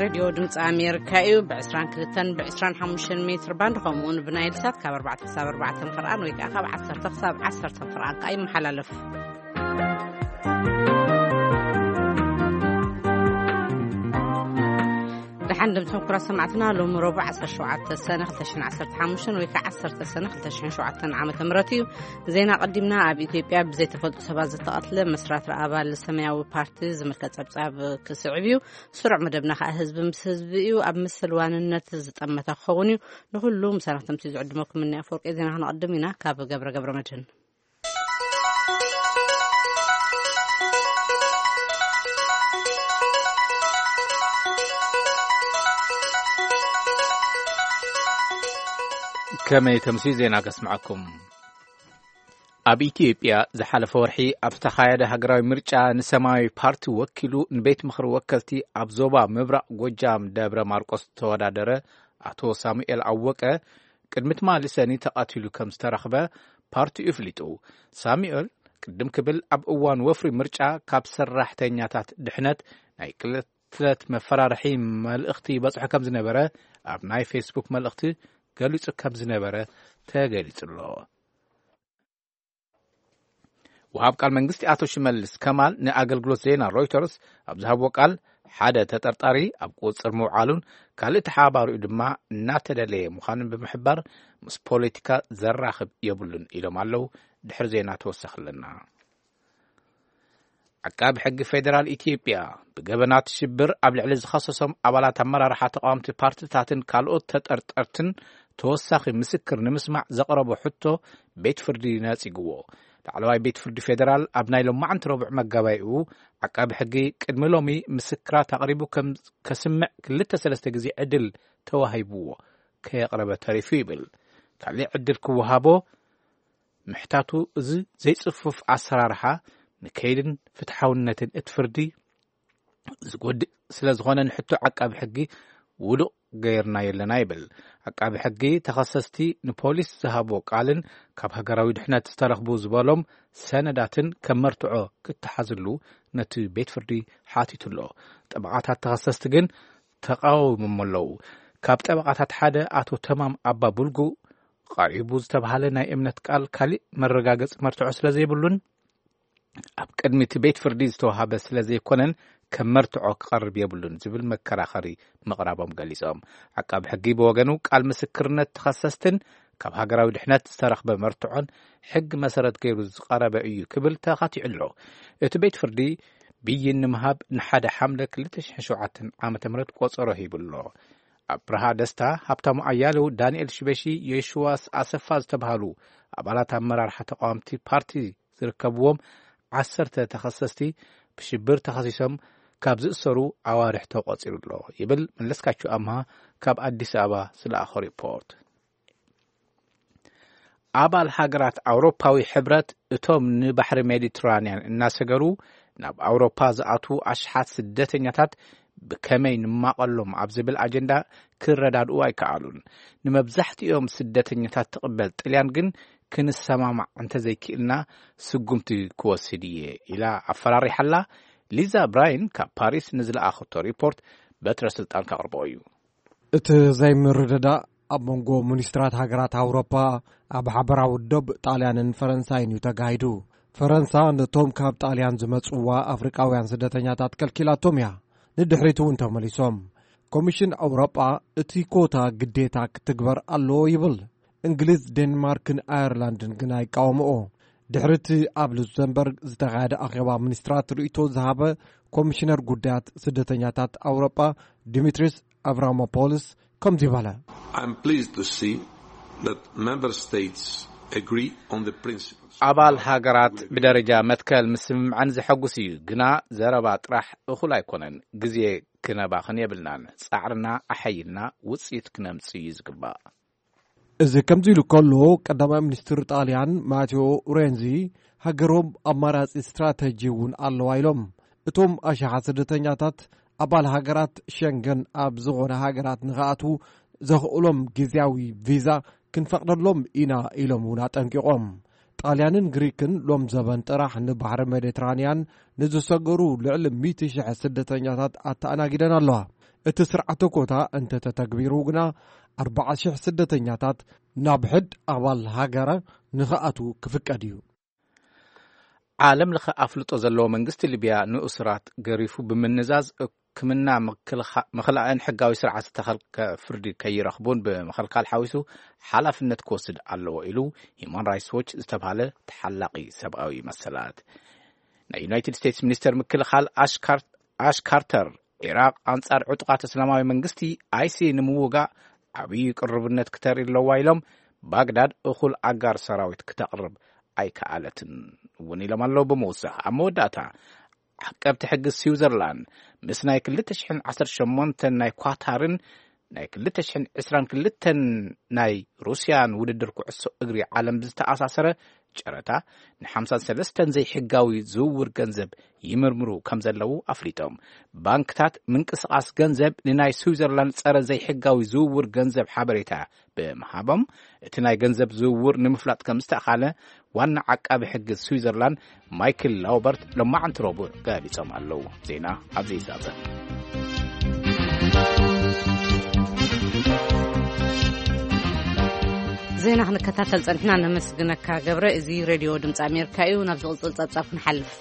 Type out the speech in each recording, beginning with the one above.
ሬድዮ ድምፂ ኣሜሪካ እዩ። ብ22 ብ25 ሜትር ባንድ፣ ከምኡውን ብናይል ሳት ካብ ኣርባዕተ ክሳብ ኣርባዕተ ፍርኣን ወይ ከዓ ካብ ዓሰርተ ክሳብ ዓሰርተ ፍርኣን ከዓ ይመሓላለፍ። ደሓን ድምፂ ምኩራ ሰማዕትና፣ ሎሚ ረቡዕ ዓሰርተ ሸውዓተ ሰነ ክልተ ሽሕን ዓሰርተ ሓሙሽተን ወይ ከዓ ዓሰርተ ሰነ ክልተ ሽሕን ሸውዓተን ዓመተ ምህረት እዩ። ዜና ቀዲምና። ኣብ ኢትዮጵያ ብዘይተፈልጡ ሰባት ዝተቐትለ መስራቲ ኣባል ሰማያዊ ፓርቲ ዝምልከት ጸብጻብ ክስዕብ እዩ። ስሩዕ መደብና ከዓ ህዝቢ ምስ ህዝቢ እዩ። ኣብ ምስል ዋንነት ዝጠመተ ክኸውን እዩ። ንኹሉ ምሳና ተምሲ ዝዕድመኩም እኒ ኣፈወርቂ ዜና ክነቐድም ኢና። ካብ ገብረ ገብረ መድህን። ከመይ ተምሲ ዜና ከስምዓኩም። ኣብ ኢትዮጵያ ዝሓለፈ ወርሒ ኣብ ዝተኻየደ ሃገራዊ ምርጫ ንሰማያዊ ፓርቲ ወኪሉ ንቤት ምኽሪ ወከልቲ ኣብ ዞባ ምብራቕ ጎጃም ደብረ ማርቆስ ዝተወዳደረ ኣቶ ሳሙኤል ኣወቀ ቅድሚ ትማሊ ሰኒ ተቐቲሉ ከም ዝተረኽበ ፓርቲኡ ኣፍሊጡ። ሳሙኤል ቅድም ክብል ኣብ እዋን ወፍሪ ምርጫ ካብ ሰራሕተኛታት ድሕነት ናይ ቅትለት መፈራርሒ መልእኽቲ ይበጽሖ ከም ዝነበረ ኣብ ናይ ፌስቡክ መልእኽቲ ገሊጹ ከም ዝነበረ ተገሊጹ ኣሎ። ወሃብ ቃል መንግስቲ ኣቶ ሽመልስ ከማል ንኣገልግሎት ዜና ሮይተርስ ኣብ ዝሃብዎ ቃል፣ ሓደ ተጠርጣሪ ኣብ ቁጽር ምውዓሉን ካልእ ተሓባሪኡ ድማ እናተደለየ ምዃኑን ብምሕባር፣ ምስ ፖለቲካ ዘራኽብ የብሉን ኢሎም ኣለዉ። ድሕሪ ዜና ተወሰኽለና። ዓቃቢ ሕጊ ፌዴራል ኢትዮጵያ ብገበናት ሽብር ኣብ ልዕሊ ዝኸሰሶም ኣባላት ኣመራርሓ ተቃወምቲ ፓርቲታትን ካልኦት ተጠርጠርትን ተወሳኺ ምስክር ንምስማዕ ዘቕረቦ ሕቶ ቤት ፍርዲ ነጺግዎ። ላዕለዋይ ቤት ፍርዲ ፌዴራል ኣብ ናይ ሎማዕንቲ ረቡዕ መጋባይኡ፣ ዓቃቢ ሕጊ ቅድሚ ሎሚ ምስክራት ኣቕሪቡ ከም ከስምዕ ክልተ ሰለስተ ግዜ ዕድል ተዋሂብዎ ከየቕረበ ተሪፉ ይብል። ካልእ ዕድል ክወሃቦ ምሕታቱ፣ እዚ ዘይጽፉፍ ኣሰራርሓ ንከይድን ፍትሓውነትን እቲ ፍርዲ ዝጎድእ ስለ ዝኾነ፣ ንሕቶ ዓቃቢ ሕጊ ውዱቕ ገይርና የለና ይብል። ዓቃቢ ሕጊ፣ ተኸሰስቲ ንፖሊስ ዝሃቦ ቃልን ካብ ሃገራዊ ድሕነት ዝተረኽቡ ዝበሎም ሰነዳትን ከም መርትዖ ክተሓዝሉ ነቲ ቤት ፍርዲ ሓቲቱ ኣሎ። ጠበቓታት ተኸሰስቲ ግን ተቃዊሞም ኣለዉ። ካብ ጠበቓታት ሓደ ኣቶ ተማም ኣባ ቡልጉ፣ ቀሪቡ ዝተባህለ ናይ እምነት ቃል ካሊእ መረጋገጺ መርትዖ ስለ ዘይብሉን ኣብ ቅድሚ እቲ ቤት ፍርዲ ዝተዋሃበ ስለ ዘይኮነን፣ ከም መርትዖ ክቐርብ የብሉን ዝብል መከራኸሪ ምቕራቦም ገሊጾም። ዓቃቢ ሕጊ ብወገኑ፣ ቃል ምስክርነት ተኸሰስትን ካብ ሃገራዊ ድሕነት ዝተረኽበ መርትዖን ሕጊ መሰረት ገይሩ ዝቐረበ እዩ ክብል ተኻቲዑ ኣሎ። እቲ ቤት ፍርዲ ብይን ንምሃብ ንሓደ ሓምለ ክልተ ሽሕን ሸውዓተን ዓመተ ምህረት ቆጸሮ ሂቡ ኣሎ። ኣብርሃ ደስታ፣ ሃብታሙ ኣያሌው፣ ዳንኤል ሽበሺ፣ የሽዋስ ኣሰፋ ዝተባህሉ ኣባላት ኣመራርሓ ተቃወምቲ ፓርቲ ዝርከብዎም ዓሰርተ ተኸሰስቲ ብሽብር ተኸሲሶም ካብ ዝእሰሩ ኣዋርሕ ተቖጺሩ ኣሎ ይብል መለስካቸው ኣምሃ ካብ ኣዲስ ኣበባ ዝለኣኾ ሪፖርት። ኣባል ሃገራት ኣውሮፓዊ ሕብረት እቶም ንባሕሪ ሜዲትራንያን እናሰገሩ ናብ ኣውሮፓ ዝኣትዉ ኣሽሓት ስደተኛታት ብከመይ ንማቐሎም ኣብ ዝብል ኣጀንዳ ክረዳድኡ ኣይከኣሉን። ንመብዛሕትኦም ስደተኛታት ትቕበል ጥልያን ግን ክንሰማማዕ እንተዘይክእልና ስጉምቲ ክወስድ እየ ኢላ ኣፈራሪሓላ። ሊዛ ብራይን ካብ ፓሪስ ንዝለኣኸቶ ሪፖርት በትረ ስልጣን ከቕርቦ እዩ። እቲ ዘይምርድዳእ ኣብ መንጎ ሚኒስትራት ሃገራት ኣውሮፓ ኣብ ሓበራዊ ዶብ ጣልያንን ፈረንሳይን እዩ ተጋሂዱ። ፈረንሳ ነቶም ካብ ጣልያን ዝመጽዋ ኣፍሪቃውያን ስደተኛታት ከልኪላቶም እያ። ንድሕሪት እውን ተመሊሶም። ኮሚሽን ኣውሮጳ እቲ ኮታ ግዴታ ክትግበር ኣለዎ ይብል። እንግሊዝ፣ ዴንማርክን ኣየርላንድን ግን ኣይቃወምኦ። ድሕሪ እቲ ኣብ ሉክሰምበርግ ዝተኻየደ ኣኼባ ሚኒስትራት ርእይቶ ዝሃበ ኮሚሽነር ጉዳያት ስደተኛታት ኣውሮጳ ዲሚትሪስ ኣቭራሞፖልስ ከምዚ በለ። I'm pleased to see that member states agree on the principles. ኣባል ሃገራት ብደረጃ መትከል ምስምምዐን ዘሐጉስ እዩ፣ ግና ዘረባ ጥራሕ እኹል ኣይኮነን። ግዜ ክነባኽን የብልናን። ጻዕርና ኣሐይልና ውጽኢት ክነምጽእ እዩ ዝግባእ። እዚ ከምዚ ኢሉ ከሎ፣ ቀዳማይ ሚኒስትር ጣልያን ማቴዎ ሬንዚ፣ ሃገሮም ኣማራጺ ስትራተጂ እውን ኣለዋ ኢሎም። እቶም ኣሽሓት ስደተኛታት ኣባል ሃገራት ሸንገን ኣብ ዝኾነ ሃገራት ንኽኣትዉ ዘኽእሎም ግዝያዊ ቪዛ ክንፈቕደሎም ኢና ኢሎም እውን ኣጠንቂቖም። ጣልያንን ግሪክን ሎም ዘበን ጥራሕ ንባሕሪ ሜዲትራንያን ንዝሰገሩ ልዕሊ ሚእቲ ሽሕ ስደተኛታት ኣተኣናጊደን ኣለዋ። እቲ ስርዓተ ኮታ እንተተተግቢሩ ግና፣ ኣርባዓ ሽሕ ስደተኛታት ናብ ሕድ ኣባል ሃገረ ንኽኣትዉ ክፍቀድ እዩ። ዓለም ለኸ ኣፍልጦ ዘለዎ መንግስቲ ሊብያ ንእሱራት ገሪፉ ብምንዛዝ፣ ሕክምና ምክልኻ-፣ ምኽላእን ሕጋዊ ስርዓት ዝተኸልከ ፍርዲ ከይረኽቡን ብምኽልካል ሓዊሱ ሓላፍነት ክወስድ ኣለዎ ኢሉ ሂማን ራይትስ ዎች ዝተባህለ ተሓላቒ ሰብኣዊ መሰላት። ናይ ዩናይትድ ስቴትስ ሚኒስተር ምክልኻል ኣሽ ካር-፣ ኣሽ ካርተር፣ ኢራቕ ኣንጻር ዕጡቓት እስላማዊ መንግስቲ፣ ኣይሲ፣ ንምውጋእ ዓብዪ ቅርብነት ክተርኢ ኣለዋ ኢሎም፣ ባግዳድ እኹል ኣጋር ሰራዊት ክተቕርብ ኣይከኣለትን እውን ኢሎም ኣለዉ። ብምውሳኽ፣ ኣብ መወዳእታ፣ ዓቀብቲ ሕጊ ስዊዘርላንድ ምስ ናይ ክልተ ሽሕን ዓሰርተ ሸሞንተን ናይ ኳታርን ናይ ክልተ ሽሕን ዕስራን ክልተን ናይ ሩስያን ውድድር ኩዕሶ እግሪ ዓለም ብዝተኣሳሰረ ጨረታ፣ ንሓምሳን ሰለስተን ዘይሕጋዊ ዝውውር ገንዘብ ይምርምሩ ከም ዘለዉ ኣፍሊጦም። ባንክታት ምንቅስቓስ ገንዘብ ንናይ ስዊዘርላንድ ጸረ ዘይሕጋዊ ዝውውር ገንዘብ ሓበሬታ ብምሃቦም፣ እቲ ናይ ገንዘብ ዝውውር ንምፍላጥ ከም ዝተኻለ ዋና ዓቃቢ ሕጊ ስዊዘርላንድ ማይክል ላውበርት ሎማዓንቲ ረቡዕ ገሊጾም ኣለዉ። ዜና ኣብዚ ይዛዘም። ዜና ክንከታተል ጸኒሕና፣ ነመስግነካ ገብረ። እዚ ሬድዮ ድምጺ ኣሜሪካ እዩ። ናብ ዝቕጽል ጸብጻብ ክንሓልፍ።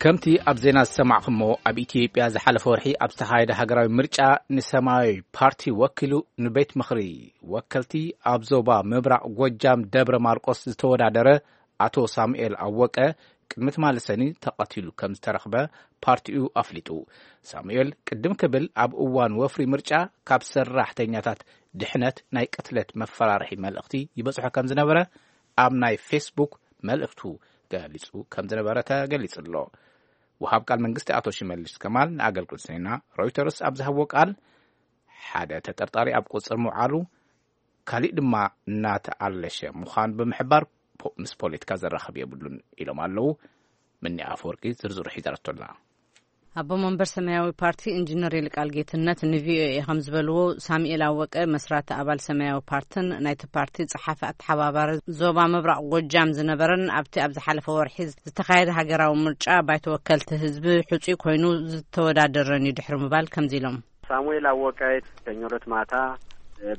ከምቲ ኣብ ዜና ዝሰማዕኹሞ፣ ኣብ ኢትዮጵያ ዝሓለፈ ወርሒ ኣብ ዝተኻየደ ሃገራዊ ምርጫ ንሰማያዊ ፓርቲ ወኪሉ ንቤት ምኽሪ ወከልቲ ኣብ ዞባ ምብራቕ ጎጃም ደብረ ማርቆስ ዝተወዳደረ ኣቶ ሳሙኤል ኣወቀ ቅድሚ ትማሊ ሰኒ ተቐቲሉ ከም ዝተረኽበ ፓርቲኡ ኣፍሊጡ። ሳሙኤል ቅድም ክብል ኣብ እዋን ወፍሪ ምርጫ ካብ ሰራሕተኛታት ድሕነት ናይ ቅትለት መፈራርሒ መልእኽቲ ይበጽሖ ከም ዝነበረ ኣብ ናይ ፌስቡክ መልእኽቱ ገሊጹ ከም ዝነበረ ተገሊጹ ኣሎ። ወሃብ ቃል መንግስቲ ኣቶ ሽመልስ ከማል ንኣገልግሎት ዜና ሮይተርስ ኣብ ዝሃብዎ ቃል፣ ሓደ ተጠርጣሪ ኣብ ቁጽር ምውዓሉ፣ ካሊእ ድማ እናተኣለሸ ምዃኑ ብምሕባር፣ ፖ-፣ ምስ ፖለቲካ ዘራኽብ የብሉን ኢሎም ኣለዉ። ምኒ ኣፈወርቂ ዝርዝሩ ሒዛቶ ኣላ። ኣቦ መንበር ሰማያዊ ፓርቲ ኢንጂነር ይልቃል ጌትነት ንቪኦኤ ከም ዝበልዎ፣ ሳሙኤል ኣወቀ መስራቲ ኣባል ሰማያዊ ፓርትን ናይቲ ፓርቲ ጸሓፊ ኣተሓባባሪ ዞባ ምብራቕ ጎጃም ዝነበረን ኣብቲ ኣብ ዝሓለፈ ወርሒ ዝተኻየደ ሃገራዊ ምርጫ ባይቶ ወከልቲ ህዝቢ ሕጹይ ኮይኑ ዝተወዳደረን እዩ ድሕሪ ምባል ከምዚ ኢሎም። ሳሙኤል ኣወቀ ሰኞ ዕለት ማታ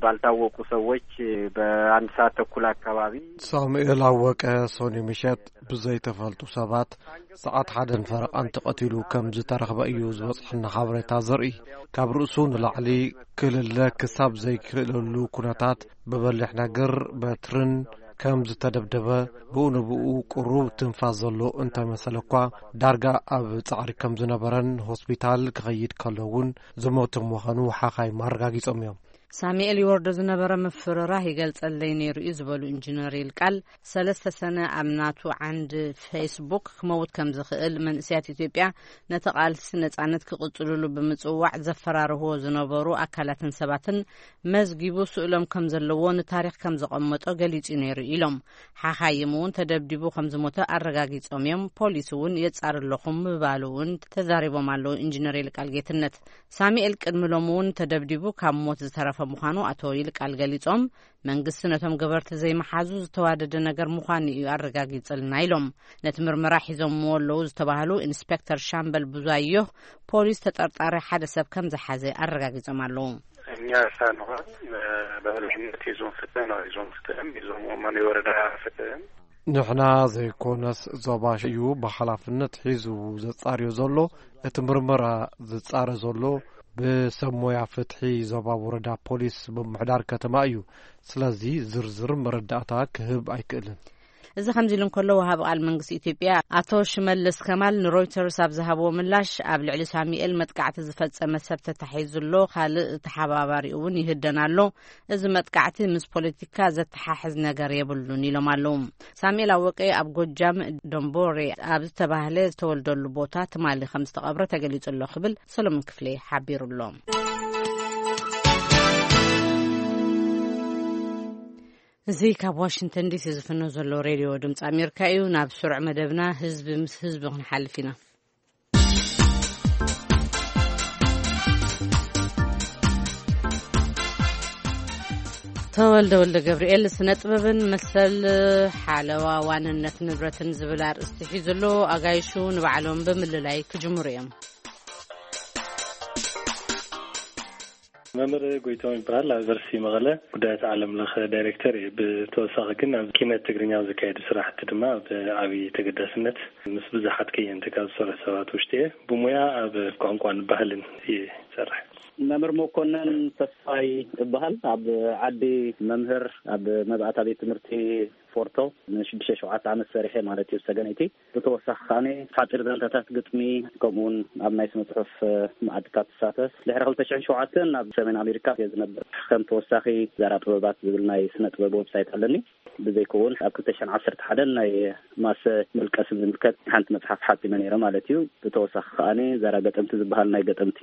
ባልታወቁ ሰዎች በአንድ ሰዓት ተኩል አካባቢ ሳሙኤል ኣወቀ ሰኑይ ምሸት ብዘይተፈልጡ ሰባት ሰዓት ሓደን ፈረቓን ተቐቲሉ ከም ዝተረኽበ እዩ ዝበጽሐና ሓበሬታ ዘርኢ። ካብ ርእሱ ንላዕሊ ክልለ ክሳብ ዘይክእለሉ ኩነታት ብበሊሕ ነገር በትርን ከም ዝተደብደበ፣ ብኡ ንብኡ ቁሩብ ትንፋስ ዘሎ እንተመሰለ እኳ፣ ዳርጋ ኣብ ጻዕሪ ከም ዝነበረን ሆስፒታል ክኸይድ ከሎ እውን ዝሞተ ምዃኑ ሓኻይም ኣረጋጊጾም እዮም። ሳሙኤል ይወርዶ ዝነበረ ምፍርራህ ይገልጸለይ ነይሩ እዩ ዝበሉ ኢንጂነር ይልቃል፣ ሰለስተ ሰነ ኣብ ናቱ ዓንዲ ፌስቡክ ክመውት ከም ዝኽእል፣ መንእሰያት ኢትዮጵያ ነቲ ቃልሲ ነጻነት ክቕጽልሉ ብምጽዋዕ ዘፈራርህዎ ዝነበሩ ኣካላትን ሰባትን መዝጊቡ ስእሎም ከም ዘለዎ፣ ንታሪኽ ከም ዘቐመጦ ገሊጹ ነይሩ ኢሎም። ሓኻይም እውን ተደብዲቡ ከም ዝሞተ ኣረጋጊጾም እዮም። ፖሊስ እውን የጻሪ ኣለኹም ምባሉ እውን ተዛሪቦም ኣለዉ ኢንጂነር ይልቃል ጌትነት። ሳሙኤል ቅድሚ ሎሚ እውን ተደብዲቡ ካብ ሞት ዝተረፈ ምዃኑ ኣቶ ይልቃል ገሊጾም፣ መንግስቲ ነቶም ገበርቲ ዘይምሓዙ ዝተዋደደ ነገር ምዃኑ እዩ ኣረጋጊጽልና ኢሎም። ነቲ ምርመራ ሒዞምዎ ኣለዉ ዝተባህሉ ኢንስፔክተር ሻምበል ብዙኣየሁ፣ ፖሊስ ተጠርጣሪ ሓደ ሰብ ከም ዝሓዘ ኣረጋጊጾም ኣለዉ። እኛ ሳንሆን በበላይነት የዞን ፍትህ ነው። የዞን ፍትህም የዞን ወመን የወረዳ ፍትህም ንሕና ዘይኮነስ ዞባ እዩ ብሓላፍነት ሒዙ ዘጻርዮ ዘሎ። እቲ ምርመራ ዝጻረ ዘሎ ብሰብ ሞያ ፍትሒ ዞባ ወረዳ ፖሊስ ምምሕዳር ከተማ እዩ። ስለዚ ዝርዝር መረዳእታ ክህብ ኣይክእልን። እዚ ከምዚ ኢሉ እንከሎ፣ ወሃቢ ቃል መንግስቲ ኢትዮጵያ ኣቶ ሽመልስ ከማል ንሮይተርስ ኣብ ዝሃብዎ ምላሽ፣ ኣብ ልዕሊ ሳሙኤል መጥቃዕቲ ዝፈጸመ ሰብ ተታሒዙ ኣሎ፣ ካልእ ተሓባባሪኡ እውን ይህደን ኣሎ። እዚ መጥቃዕቲ ምስ ፖለቲካ ዘተሓሕዝ ነገር የብሉን ኢሎም ኣለዉ። ሳሙኤል ኣወቀ ኣብ ጎጃም ደንቦሬ ኣብ ዝተባህለ ዝተወልደሉ ቦታ ትማሊ ከም ዝተቐብረ ተገሊጹ ኣሎ ክብል ሰሎሞን ክፍሌ ሓቢሩ ኣሎ። እዚ ካብ ዋሽንግተን ዲሲ ዝፍኖ ዘሎ ሬድዮ ድምፂ ኣሜሪካ እዩ። ናብ ስሩዕ መደብና ህዝቢ ምስ ህዝቢ ክንሓልፍ ኢና። ተወልደ ወልደ ገብርኤል ስነ ጥበብን መሰል ሓለዋ ዋንነት ንብረትን ዝብል ኣርእስቲ ሒዙ ኣሎ። ኣጋይሹ ንባዕሎም ብምልላይ ክጅምሩ እዮም። መምህር ጎይቶም ይበሃል። ኣብ ዩኒቨርሲቲ መቐለ ጉዳያት ዓለም ለኸ ዳይሬክተር እየ። ብተወሳኺ ግን ኣብ ኪነት ትግርኛ ኣብ ዝካየዱ ስራሕቲ ድማ ብዓብዪ ተገዳስነት ምስ ብዙሓት ከየንቲ ካብ ዝሰርሑ ሰባት ውሽጢ እየ። ብሙያ ኣብ ቋንቋን ባህልን እየ ዝሰርሕ። መምህር መኮነን ተስፋይ እበሃል። ኣብ ዓዲ መምህር ኣብ መብኣታ ቤት ትምህርቲ ፎርቶ ንሽዱሽተ ሸውዓተ ዓመት ሰሪሐ ማለት እዩ፣ ሰገነይቲ። ብተወሳኺ ከኣ ሓጺር ዛንታታት፣ ግጥሚ፣ ከምኡ እውን ኣብ ናይ ስነ ጽሑፍ መኣድታት ትሳተፍ። ድሕሪ ክልተ ሽሕን ሸውዓተን ናብ ሰሜን ኣሜሪካ እየ ዝነብር። ከም ተወሳኺ ዛራ ጥበባት ዝብል ናይ ስነ ጥበብ ዌብሳይት ኣለኒ። ብዘይከውን ኣብ ክልተ ሽሕን ዓሰርተ ሓደን ናይ ማሰ መልቀስ ዝምልከት ሓንቲ መጽሓፍ ሓጺመ ነይረ ማለት እዩ። ብተወሳኺ ከኣ ዛራ ገጠምቲ ዝበሃል ናይ ገጠምቲ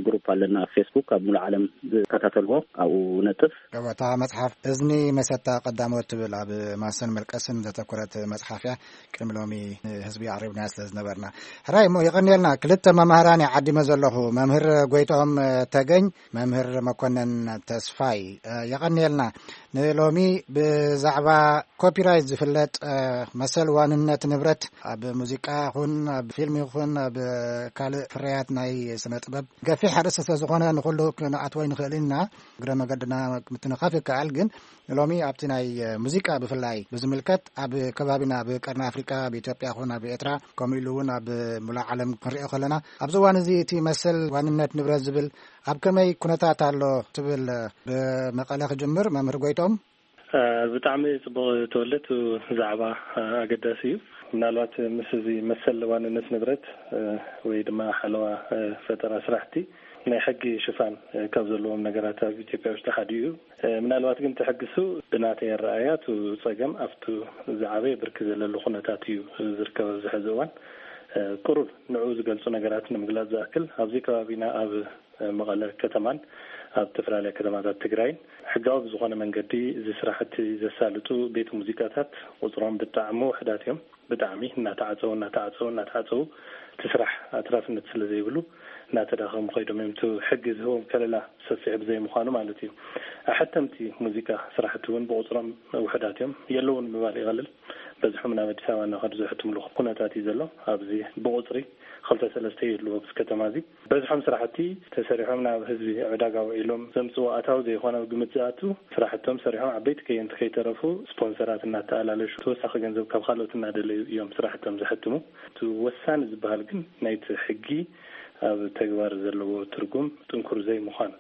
ግሩፕ ኣለና ኣብ ፌስቡክ፣ ኣብ ሙሉእ ዓለም ዝከታተልዎ ኣብኡ ነጥፍ። እታ መጽሓፍ እዝኒ መሰታ ቀዳሞት ትብል ኣብ ማሰን መልቀስን ዘተኮረት መጽሓፍ እያ። ቅድሚ ሎሚ ንህዝቢ ኣቕሪብናያ ስለ ዝነበርና። ሕራይ እሞ የቐንየልና። ክልተ መማህራን እየ ዓዲመ ዘለኹ፣ መምህር ጎይትኦም ተገኝ፣ መምህር መኮነን ተስፋይ። የቐንየልና። ንሎሚ ብዛዕባ ኮፒራይት ዝፍለጥ መሰል ዋንነት ንብረት ኣብ ሙዚቃ ይኹን ኣብ ፊልም ይኹን ኣብ ካልእ ፍርያት ናይ ስነ ጥበብ ገፊሕ ኣርእስቲ ስለ ዝኾነ ንኹሉ ክንኣትዎ ኣይንኽእልን ኢና። እግረ መገድና ምትንኻፍ ይከኣል፣ ግን ሎሚ ኣብቲ ናይ ሙዚቃ ብፍላይ ብዝምልከት ኣብ ከባቢና ኣብ ቀርኒ ኣፍሪቃ፣ ኣብ ኢትዮጵያ ይኹን ኣብ ኤርትራ፣ ከምኡ ኢሉ እውን ኣብ ሙሉእ ዓለም ክንሪኦ ከለና ኣብዚ እዋን እዚ እቲ መሰል ዋንነት ንብረት ዝብል ኣብ ከመይ ኩነታት ኣሎ ትብል? ብመቐለ ክጅምር መምህር ጎይቶም። እ፣ ብጣዕሚ ጽቡቕ ተወልደ፣ እቲ ዛዕባ፣ እ፣ ኣገዳሲ እዩ። ምናልባት ምስ እዚ መሰል ዋንነት ንብረት፣ እ፣ ወይ ድማ ሓለዋ፣ እ፣ ፈጠራ ስራሕቲ ናይ ሕጊ ሽፋን፣ እ፣ ካብ ዘለዎም ነገራት ኣብ ኢትዮጵያ ውሽጢ ሓደ እዩ። እ፣ ምናልባት ግን እቲ ሕጊ እሱ ብናተይ ኣረኣእያ እቲ ጸገም ኣብቲ ዝዓበየ ብርኪ ዘለሉ ኩነታት እዩ ዝርከብ ኣብዚ ሕዚ እዋን። እ፣ ቁሩብ ንዕኡ ዝገልጹ ነገራት ንምግላጽ ዝኣክል፣ ኣብዚ ከባቢና ኣብ መቐለ ከተማን ኣብ ዝተፈላለያ ከተማታት ትግራይን ሕጋዊ ብዝኾነ መንገዲ እዚ ስራሕቲ ዘሳልጡ ቤት ሙዚቃታት ቁፅሮም ብጣዕሚ ውሕዳት እዮም። ብጣዕሚ እናተዓፀው እናተዓፀው እናተዓፀው እቲ ስራሕ ኣትራፍነት ስለ ዘይብሉ እናተዳኸሙ ከይዶም እዮም። እቲ ሕጊ ዝህቦም ከለላ ሰፊሕ ብዘይምዃኑ ማለት እዩ። ኣሐተምቲ ሙዚቃ ስራሕቲ እውን ብቁፅሮም ውሕዳት እዮም፣ የለውን ምባል ይቐልል። በዝሖም ናብ ኣዲስ ኣበባ እናኸዱ ዘሕትምሉ ኩነታት እዩ ዘሎ። ኣብዚ ብቁፅሪ ክልተ ሰለስተ ይህልዎ ኣብዚ ከተማ እዚ። በዝሖም ስራሕቲ ተሰሪሖም ናብ ህዝቢ ዕዳጋ ውዒሎም ዘምፅዎ ኣታዊ ዘይኮነ ኣብ ግምት ዝኣቱ ስራሕቶም ሰሪሖም ዓበይቲ ከየንቲ ከይተረፉ ስፖንሰራት እናተኣላለሹ ተወሳኺ ገንዘብ ካብ ካልኦት እናደለዩ እዮም ስራሕቶም ዘሕትሙ። እቲ ወሳኒ ዝበሃል ግን ናይቲ ሕጊ ኣብ ተግባር ዘለዎ ትርጉም ጥንኩር ዘይምዃን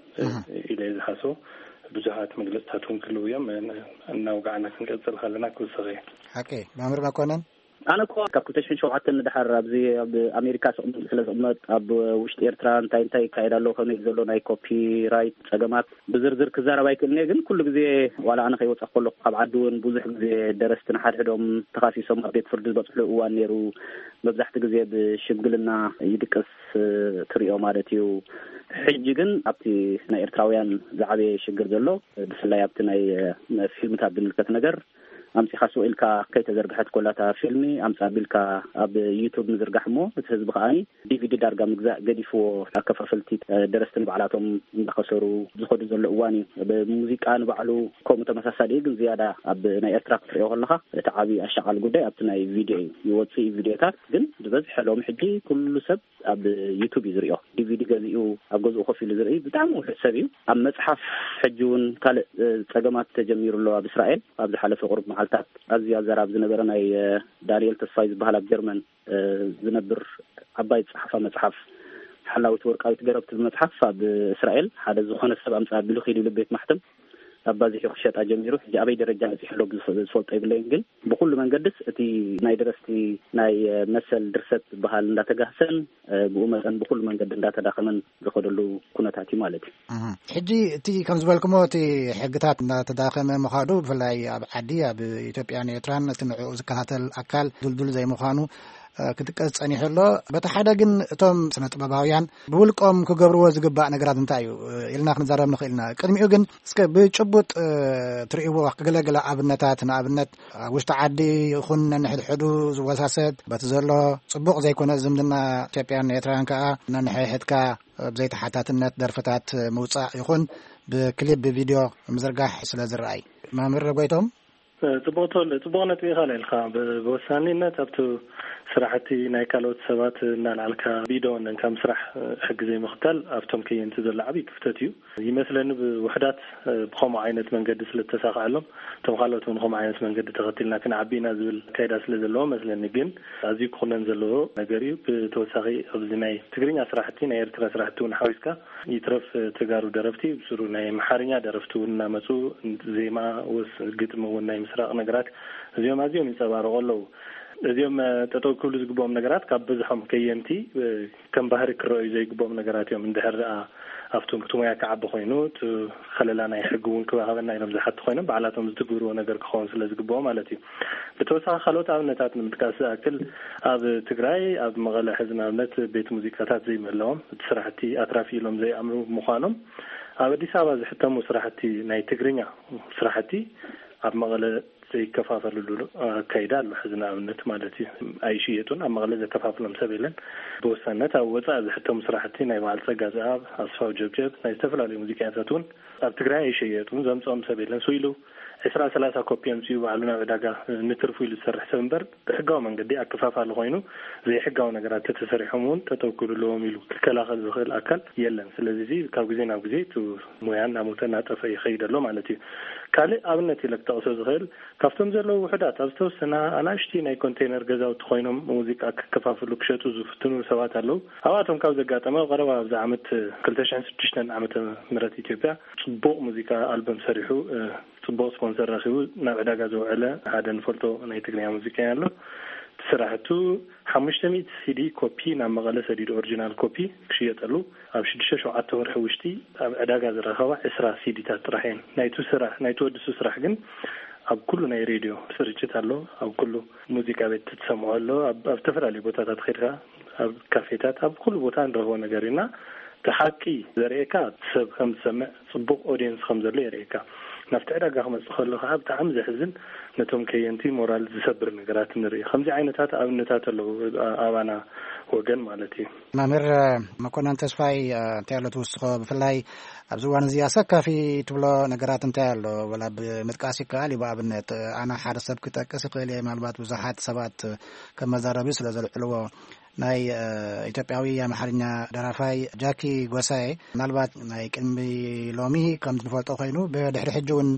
ኢለ እየ ዝሓስቦ። ብዙሓት መግለፅታት እውን ክህልው እዮም። እናውጋዕና ክንቀፅል ከለና ክውስኽ እየ። ሓቂ መምህር መኮነን። ኣነ እኮ ካብ ክልተ ሽሕን ሸውዓተን ንድሓር ኣብዚ ኣብ ኣሜሪካ ስቕምጥ ስለ ዝቕመጥ ኣብ ውሽጢ ኤርትራ እንታይ እንታይ ይካየድ ኣሎ፣ ከመይ ዘሎ ናይ ኮፒራይት ጸገማት ብዝርዝር ክዛረብ ኣይክእልን እየ። ግን ኩሉ ግዜ ዋላ ኣነ ከይወጻ ከለኹ ካብ ዓዲ እውን ብዙሕ ግዜ ደረስቲ ንሓድሕዶም ተኻሲሶም ኣብ ቤት ፍርዲ ዝበጽሕሉ እዋን ነይሩ። መብዛሕቲ ግዜ ብሽምግልና ይድቅስ ትሪኦ ማለት እዩ። ሕጂ ግን ኣብቲ ናይ ኤርትራውያን ዝዓበየ ሽግር ዘሎ ብፍላይ ኣብቲ ናይ ፊልምታት ዝምልከት ነገር ኣምጺኻ ስቕ ኢልካ ከይተዘርግሐት ኮላታ ፊልሚ ኣምጻ ቢልካ ኣብ ዩቱብ ምዝርጋሕ እሞ እቲ ህዝቢ ከኣ ዲቪዲ ዳርጋ ምግዛእ ገዲፍዎ ኣከፋፈልቲ ደረስቲ ንባዕላቶም እንዳኸሰሩ ዝኸዱ ዘሎ እዋን እዩ። ብሙዚቃ ንባዕሉ ከምኡ ተመሳሳሊ እዩ፣ ግን ዝያዳ ኣብ ናይ ኤርትራ ክትሪኦ ከለኻ እቲ ዓብዪ ኣሻቓሊ ጉዳይ ኣብቲ ናይ ቪድዮ እዩ። ይወፅእ እዩ ቪድዮታት፣ ግን ዝበዝሐ ሎም ሕጂ ኩሉ ሰብ ኣብ ዩቱብ እዩ ዝሪኦ። ዲቪዲ ገዚኡ ኣብ ገዝኡ ኮፍ ኢሉ ዝርኢ ብጣዕሚ ውሑድ ሰብ እዩ። ኣብ መፅሓፍ ሕጂ እውን ካልእ ፀገማት ተጀሚሩ ኣሎ ኣብ እስራኤል። ኣብ ዝሓለፈ ቁሩብ መዓልታት ኣዝዩ ኣዘራብ ዝነበረ ናይ ዳንኤል ተስፋይ ዝበሃል ኣብ ጀርመን ዝነብር ዓባይ ዝፀሓፋ መፅሓፍ ሓላዊት ወርቃዊት ገረብ ትብል መፅሓፍ ኣብ እስራኤል ሓደ ዝኾነ ሰብ ኣምፃ ኣቢሉ ኪዱ ኢሉ ቤት ማሕተም ኣባዚሑ ክሸጣ ጀሚሩ። ሕጂ ኣበይ ደረጃ በፂሑ ኣሎ ዝፈልጦ የብለይን፣ ግን ብኩሉ መንገድስ እቲ ናይ ደረስቲ ናይ መሰል ድርሰት ዝበሃል እንዳተጋህሰን ብኡ መጠን ብኩሉ መንገዲ እንዳተዳኸመን ዝኸደሉ ኩነታት እዩ ማለት እዩ። ሕጂ እቲ ከም ዝበልኩሞ እቲ ሕግታት እንዳተዳኸመ ምዃዱ ብፍላይ ኣብ ዓዲ ኣብ ኢትዮጵያን ኤርትራን እቲ ንዕኡ ዝከታተል ኣካል ድልዱል ዘይምዃኑ ክጥቀስ ጸኒሑ ኣሎ። በቲ ሓደ ግን እቶም ስነ ጥበባውያን ብውልቆም ክገብርዎ ዝግባእ ነገራት እንታይ እዩ ኢልና ክንዛረብ ንኽእል ኢና። ቅድሚኡ ግን እስከ ብጭቡጥ ትርእይዎ ገለገለ ኣብነታት፣ ንኣብነት ኣብ ውሽጢ ዓዲ ይኹን ነንሕድሕዱ ዝወሳሰድ በቲ ዘሎ ጽቡቕ ዘይኮነ ዝምድና ኢትዮጵያን ኤርትራን ከኣ ነንሕድሕድካ ብዘይተሓታትነት ደርፍታት ምውጻእ ይኹን ብክሊፕ ብቪድዮ ምዝርጋሕ ስለ ዝረኣይ። መምህር ጎይቶም። ጽቡቕ ተወልደ፣ ጽቡቕ ነጥቢ ኢኻ ኣልዒልካ። ብ-፣ ብወሳኒነት ኣብቲ ስራሕቲ ናይ ካልኦት ሰባት እናልዓልካ ብኢደ ወነንካ ምስራሕ ሕጊ ዘይምኽታል ኣብቶም ከየንቲ ዘሎ ዓብዪ ክፍተት እዩ። ይመስለኒ ብውሕዳት ብኸምኡ ዓይነት መንገዲ ስለ ዝተሳኽዐሎም፣ እቶም ካልኦት እውን ከምኡ ዓይነት መንገዲ ተኸቲልና ክንዓቢ ኢና ዝብል ኣካይዳ ስለ ዘለዎ መስለኒ። ግን ኣዝዩ ክኹነን ዘለዎ ነገር እዩ። ብተወሳኺ ኣብዚ ናይ ትግርኛ ስራሕቲ፣ ናይ ኤርትራ ስራሕቲ እውን ሓዊስካ ይትረፍ ተጋሩ ደረፍቲ ብስሩ ናይ ኣምሓርኛ ደረፍቲ እውን እናመፁ ዜማ ወስ ግጥሚ እውን ናይ ምስራቕ ነገራት እዚኦም ኣዝዮም ይንፀባረቑ ኣለዉ። እዚኦም ጠጠው ክብሉ ዝግብኦም ነገራት ካብ ብዝሖም ከየንቲ ከም ባህሪ ክረኣዩ ዘይግብኦም ነገራት እዮም። እንድሕር ደኣ ኣብቲ እቲ ሞያ ክዓቢ ኮይኑ እቲ ከለላ ናይ ሕጊ እውን ክባኸበና ኢሎም ዝሓቱ ኮይኖም ባዕላቶም ዝትግብርዎ ነገር ክኸውን ስለ ዝግብኦ ማለት እዩ። ብተወሳኺ ካልኦት ኣብነታት ንምጥቃስ ዝኣክል ኣብ ትግራይ ኣብ መቐለ ሕዚ ንኣብነት ቤት ሙዚቃታት ዘይምህላዎም እቲ ስራሕቲ ኣትራፊ ኢሎም ዘይኣምኑ ምዃኖም ኣብ ኣዲስ ኣበባ ዝሕተሙ ስራሕቲ ናይ ትግርኛ ስራሕቲ ኣብ መቐለ ዘይከፋፈልሉ ኣካይዳ ኣሎ። ሕዚ ንኣብነት ማለት እዩ ኣይሽየጡን፣ ኣብ መቐለ ዘከፋፍሎም ሰብ የለን። ብወሳነት ኣብ ወፃኢ ዝሕተሙ ስራሕቲ ናይ በዓል ፀጋ ዘኣብ፣ ኣስፋው ጀብጀብ፣ ናይ ዝተፈላለዩ ሙዚቀኛታት እውን ኣብ ትግራይ ኣይሸየጡን፣ ዘምፅኦም ሰብ የለን። ስኢሉ ዕስራ ሰላሳ ኮፒ ኣምፅኡ ባዕሉ ናብ ዕዳጋ ንትርፉ ኢሉ ዝሰርሕ ሰብ እምበር ብሕጋዊ መንገዲ ኣከፋፋሊ ኮይኑ ዘይሕጋዊ ነገራት ተተሰሪሖም እውን ጠጠው ክብሉ ኣለዎም ኢሉ ክከላኸል ዝኽእል ኣካል የለን። ስለዚ እዚ ካብ ግዜ ናብ ግዜ እቲ ሞያ እናሞተ እናጠፈ ይኸይድ ኣሎ ማለት እዩ። ካልእ ኣብነት ኢለ ክጠቕሶ ዝኽእል ካብቶም ዘለዉ ውሑዳት ኣብ ዝተወሰና ኣናእሽቲ ናይ ኮንቴነር ገዛውቲ ኮይኖም ሙዚቃ ክከፋፍሉ ክሸጡ ዝፍትኑ ሰባት ኣለዉ። ኣብኣቶም ካብ ዘጋጠመ ኣብ ቀረባ ኣብዚ ዓመት ክልተ ሽሕን ሽዱሽተን ዓመተ ምህረት ኢትዮጵያ ጽቡቕ ሙዚቃ ኣልበም ሰሪሑ፣ እ፣ ጽቡቕ ስፖንሰር ረኺቡ ናብ ዕዳጋ ዘውዐለ ሓደ ንፈልጦ ናይ ትግርኛ ሙዚቀኛ ኣሎ። እቲ ስራሕቱ ሓሙሽተ ሚእቲ ሲዲ ኮፒ ናብ መቐለ ሰዲዱ ኦሪጂናል ኮፒ ክሽየጠሉ ኣብ ሽዱሽተ ሸውዓተ ወርሒ ውሽጢ ኣብ ዕዳጋ ዝረኸባ ዕስራ ሲዲታት ጥራሕ እየን። ናይቱ ስራሕ፣ ናይቱ ወዲ ሱ ስራሕ ግን ኣብ ኩሉ ናይ ሬድዮ ስርጭት ኣሎ፣ ኣብ ኩሉ ሙዚቃ ቤት ትሰምዖ ኣሎ፣ ኣብ፣ ኣብ ዝተፈላለዩ ቦታታት ኸይድካ፣ ኣብ ካፌታት፣ ኣብ ኩሉ ቦታ ንረኽቦ ነገር እዩ። እና እቲ ሓቂ ዘርእየካ ሰብ ከም ዝሰምዕ፣ ጽቡቕ ኦዲየንስ ከም ዘሎ የርእየካ። ናብቲ ዕዳጋ ክመጽእ ከሎ ከዓ ብጣዕሚ ዘሕዝን፣ ነቶም ከየንቲ ሞራል ዝሰብር ነገራት ንርኢ። ከምዚ ዓይነታት ኣብነታት ኣለዉ ኣባና ወገን ማለት እዩ። መምህር መኮነን ተስፋይ፣ እ፣ እንታይ ኣሎ ትውስኾ? ብፍላይ ኣብዚ እዋን እዚ ኣሰካፊ ትብሎ ነገራት እንታይ ኣሎ? ወላ ብምጥቃስ ይከኣል እዩ። ብኣብነት፣ እ፣ ኣነ ሓደ ሰብ ክጠቅስ ይኽእል እየ። ምናልባት ብዙሓት ሰባት ከም መዛረቢ ስለ ዘልዕልዎ፣ ናይ፣ እ፣ ኢትዮጵያዊ ኣምሓርኛ ደራፋይ ጃኪ ጎሳኤ፣ ምናልባት ናይ ቅድሚ ሎሚ ከም ንፈልጦ ኮይኑ፣ ብድሕሪ ሕጂ እውን፣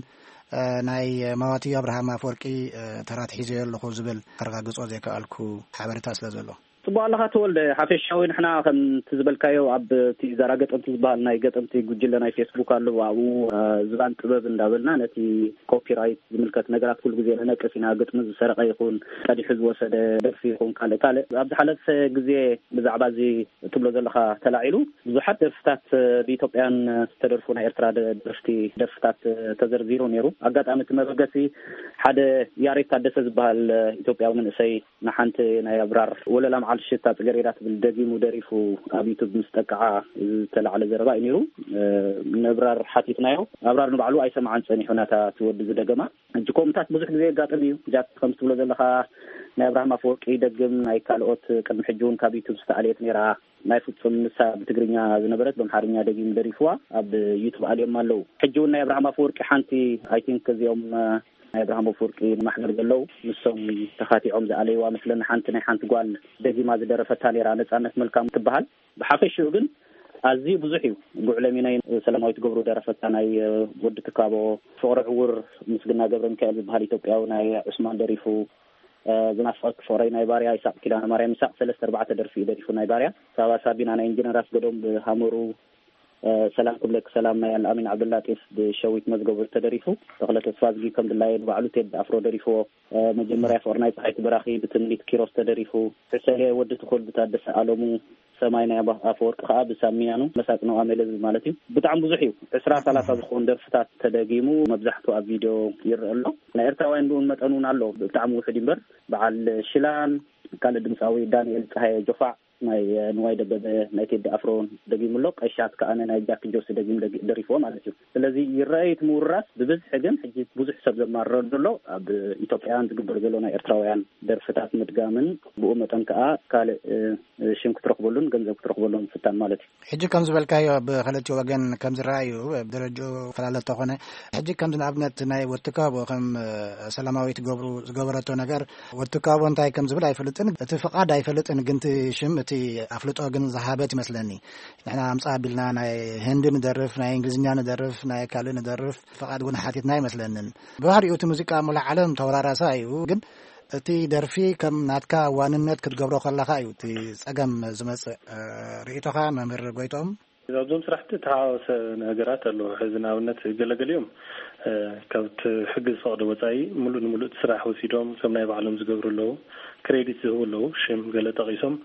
እ፣ ናይ ማዋቲ ኣብርሃም ኣፈወርቂ፣ እ፣ ተራ ትሒዘዮ ኣለኹ ዝብል ከረጋግጾ ዘይከኣልኩ ሓበሬታ ስለ ዘሎ። ጽቡቕ ኣለኻ ተወልደ። ሓፈሻዊ ንሕና ከምቲ ዝበልካዮ ኣብ እቲ ዛራ ገጠምቲ ዝበሃል ናይ ገጠምቲ ጉጅለ ናይ ፌስቡክ ኣሎ። ኣብኡ፣ እ፣ ዝባን ጥበብ እንዳበልና ነቲ ኮፒራይት ዝምልከት ነገራት ኩሉ ግዜ ንነቅፍ ኢና። ግጥሚ ዝሰረቐ ይኹን ቀዲሑ ዝወሰደ ደርፊ ይኹን ካልእ ካልእ። ኣብ ዝሓለፈ ግዜ ብዛዕባ እዚ ትብሎ ዘለኻ ተላዒሉ ብዙሓት ደርፍታት፣ እ፣ ብኢትዮጵያን ዝተደርፉ ናይ ኤርትራ ደ-፣ ደርፍቲ፣ ደርፍታት፣ እ፣ ተዘርዚሩ ነይሩ። ኣጋጣሚ እቲ መበገሲ ሓደ ያሬድ ታደሰ ዝበሃል፣ እ፣ ኢትዮጵያዊ መንእሰይ ንሓንቲ ናይ ኣብራር ወለላ መዓልቲ ሽታ ጽገሬዳ ትብል ደጊሙ ደሪፉ ኣብ ዩቱብ ምስ ጠቅዓ ዝተላዕለ ዘረባ እዩ ነይሩ። እ፣ ንእብራር ሓቲትናዮ። ኣብራር ንባዕሉ ኣይሰምዓን ጸኒሑ ነታ እቲ ወዲ ዝደገማ። ሕጂ ከምኡታት ብዙሕ ግዜ የጋጥም እዩ። ጃክ ከም ትብሎ ዘለኻ ናይ ኣብርሃም ኣፈወርቂ ይደግም፣ ናይ ካልኦት ቅድሚ ሕጂ እውን ካብ ዩቱብ ዝተኣለየት ነይራ። ናይ ፍጹም ንሳ ብትግርኛ ዝነበረት ብኣምሓርኛ ደጊሙ ደሪፍዋ ኣብ ዩቱብ ኣልዮም ኣለዉ። ሕጂ እውን ናይ ኣብርሃም ኣፈወርቂ ሓንቲ፣ ኣይ ቲንክ እዚኦም፣ እ፣ ናይ ኣብርሃም ኣፈወርቂ ማሕበር ዘለዉ ንሶም ተኻቲዖም ዝኣለይዋ መስለኒ። ሓንቲ ናይ ሓንቲ ጓል ደጊማ ዝደረፈታ ነይራ፣ ነጻነት መልካም ትበሃል። ብሓፈሽኡ ግን ኣዝዩ ብዙሕ እዩ። ጉዕለ ሚናይ ሰላማዊት ገብሩ ደረፈታ፣ ናይ፣ እ፣ ወዲ ትካቦ፣ ፍቕሪ ዕውር ምስግና ገብረ ሚካኤል ዝበሃል ኢትዮጵያዊ ናይ ዑስማን ደሪፉ፣ እ፣ ዝናፍቐኪ ፍቕረይ ናይ ባርያ፣ ይሳቕ ኪዳነ ማርያም፣ ይሳቕ ሰለስተ ኣርባዕተ ደርፊ እዩ ደሪፉ ናይ ባርያ። ሳባ ሳቢና ናይ ኢንጂነር ኣስገዶም ብሃመሩ፣ እ፣ ሰላም ክብለኪ ሰላም ናይ ኣልኣሚን ዓብደላጢፍ ብሸዊት መዝገቡ ተደሪፉ። ተኽለ ተስፋዝጊ ከም ድላየ ንባዕሉ ቴዲ ኣፍሮ ደሪፍዎ። እ፣ መጀመርያ ፍቕሪ ናይ ፀሓይቱ በራኺ ብትምኒት ኪሮስ ተደሪፉ። ዕሰለ ወዲ ትኹል ብታደሰ ኣለሙ። ሰማይ ናይ ኣባ-፣ ኣፈወርቂ ከዓ ብሳሚያኑ መሳጥኖ ኣሜለ ዝብል ማለት እዩ። ብጣዕሚ ብዙሕ እዩ። ዕስራ ሰላሳ ዝኾኑ ደርፍታት ተደጊሙ፣ መብዛሕቱ ኣብ ቪድዮ ይረአ ኣሎ። ናይ ኤርትራውያን ብእውን መጠን እውን ኣሎ። ብጣዕሚ ውሑድ እዩ እምበር፣ በዓል ሽላን ካልእ ድምፃዊ ዳንኤል ፀሃየ ጆፋዕ፣ ናይ ንዋይ ደበበ፣ ናይ ቴዲ ኣፍሮ ደጊሙ ኣሎ። ቀሻት ከኣ ናይ ጃኪ ጆሲ ደጊሙ ደጊ- ደሪፍዎ ማለት እዩ። ስለዚ ይረኣይ እቲ ምውርራስ ብብዝሒ፣ ግን ሕጂ ብዙሕ ሰብ ዘማርረሉ ዘሎ ኣብ ኢትዮጵያውያን ዝግበር ዘሎ ናይ ኤርትራውያን ደርፍታት ምድጋምን ብኡ መጠን ከኣ ካልእ ሽም ክትረኽበሉን ገንዘብ ክትረኽበሉን ምፍታን ማለት እዩ። ሕጂ ከም ዝበልካዮ ብክልቲኡ ወገን ከም ዝረኣዩ ደረጃኡ ፈላለ ተኾነ፣ ሕጂ ከም ንኣብነት ናይ ወትካቦ ከም ሰላማዊት ገብሩ ዝገበረቶ ነገር፣ ወትካቦ እንታይ ከም ዝብል ኣይፈልጥን፣ እቲ ፍቓድ ኣይፈልጥን፣ ግን እቲ ሽም እቲ ኣፍልጦ ግን ዝሃበት ይመስለኒ። ንሕና ኣምጻ ኣቢልና ናይ ህንዲ ንደርፍ፣ ናይ እንግሊዝኛ ንደርፍ፣ ናይ ካልእ ንደርፍ ፍቓድ እውን ሓቲትና ኣይመስለንን። ብባህሪኡ እቲ ሙዚቃ ሙሉእ ዓለም ተወራራሳ እዩ፣ ግን እቲ ደርፊ ከም ናትካ ዋንነት ክትገብሮ ከለኻ እዩ እቲ ጸገም ዝመጽእ። ርእይቶኻ መምህር ጎይቶም? ኣብዞም ስራሕቲ ተሓዋወሰ ነገራት ኣለዎ። ሕዚ ንኣብነት ገለገሊኦም ካብቲ ሕጊ ዝፈቕዶ ወፃኢ ሙሉእ ንሙሉእ እቲ ስራሕ ወሲዶም ከም ናይ ባዕሎም ዝገብሩ ኣለዉ። ክሬዲት ዝህቡ ኣለዉ። ሽም ገለ ጠቒሶም